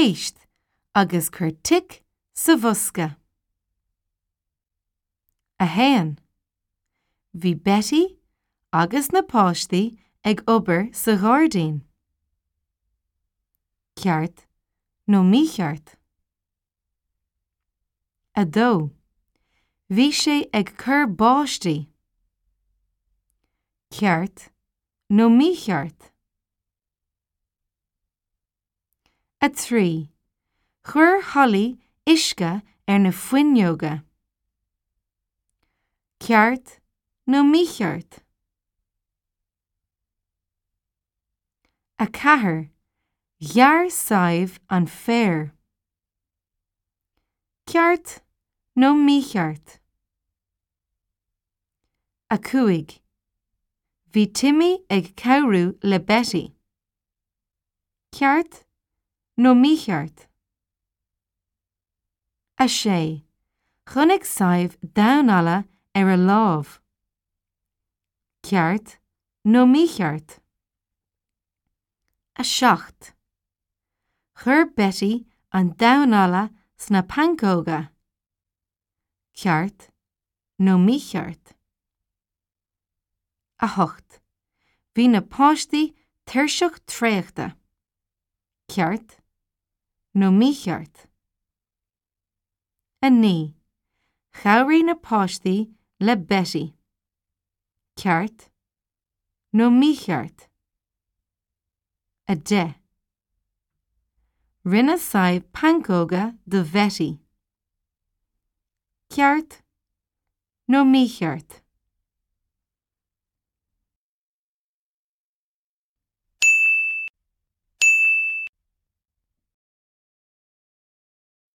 Éist agus cuir tic sa bhosca. 1. Bhí Betty agus na páistí ag obair sa ghairdín. Ceart nó mícheart? 2. Bhí sé ag cur báistí. Ceart nó mícheart? 3. Chuir Holly uisce ar na fuinneoga. Ceart nó mícheart? 4. Ghearr Sadhbh an féar. Ceart nó mícheart? 5. Bhí Timmy ag cabhrú le Betty. Ceart nó mícheart? 6. Chonaic Sadhbh damhán alla ar a lámh. Ceart nó mícheart? 7. Chuir Betty an damhán alla sna pancóga. Ceart nó mícheart? 8. Bhí na páistí tuirseach traochta. Ceart nó mícheart? 9. Chabhraigh na páistí le Betty. Ceart nó mícheart? 10. Rinne Sadhbh pancóga do Bhetty. Ceart nó mícheart?